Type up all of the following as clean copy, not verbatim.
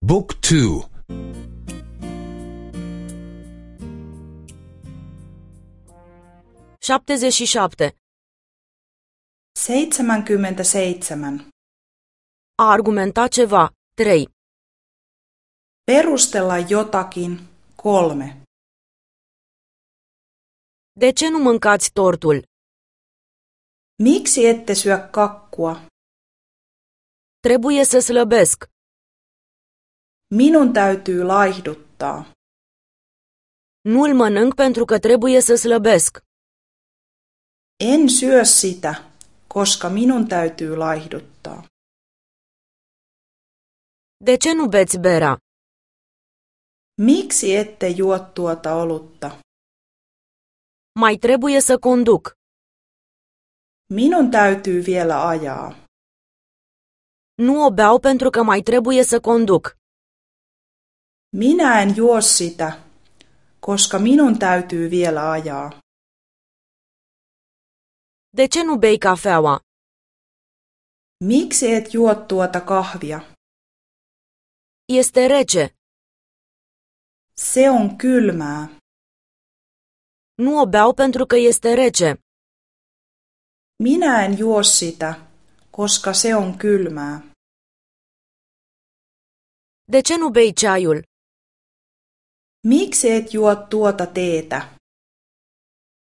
Book 2 77. 77. A argumenta ceva. 3. Perustella jotakin. 3. De ce nu mâncați tortul? Miksi ette syö kakkua? Trebuie să slăbesc. Minun täytyy laihduttaa. Nu-l mănânc pentru că trebuie să slăbesc. En syö sitä, koska minun täytyy laihduttaa. De ce nu beți berea? Miksi ette juo tuota olutta? Mai trebuie să conduc. Minun täytyy vielä ajaa. Nu o beau pentru că mai trebuie să conduc. Minä en juo sitä, koska minun täytyy vielä ajaa. De ce nu bei cafeaua? Miksi et juo tuota kahvia? Este rece. Se on kylmää. Nu o beau pentru că este rece. Minä en juo sitä, koska se on kylmää. De ce nu bei ceaiul? Miksi et juo tuota teetä?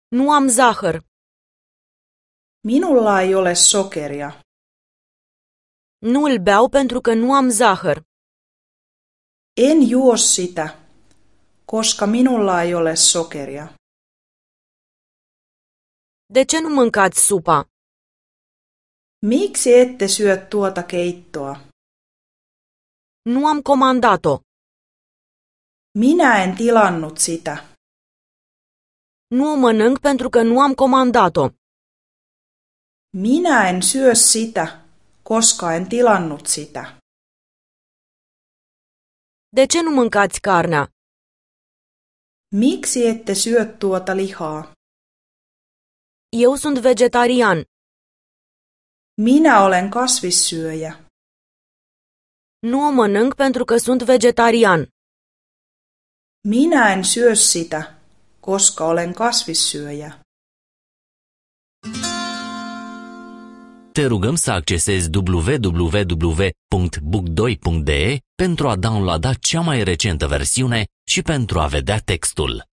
Nu am zahăr. Minulla ei ole sokeria. Nu îl beau pentru că nu am zahăr. En juo sitä, koska minulla ei ole sokeria. De ce nu mâncați supa? Miksi ette syö tuota keittoa? Nu am comandat-o. Minä en tilannut sitä. Nu o mănânc pentru că nu am comandat-o. Minä en syö sitä, koska en tilannut sitä. De ce nu mâncați carnea? Miksi ette syö tuota lihaa? Eu sunt vegetarian. Minä olen kasvissyöjä. Nu o mănânc pentru că sunt vegetarian. Minä en syö sitä, koska olen kasvissyöjä. Te rugăm să accesezi www.book2.de pentru a downloada cea mai recentă versiune și pentru a vedea textul.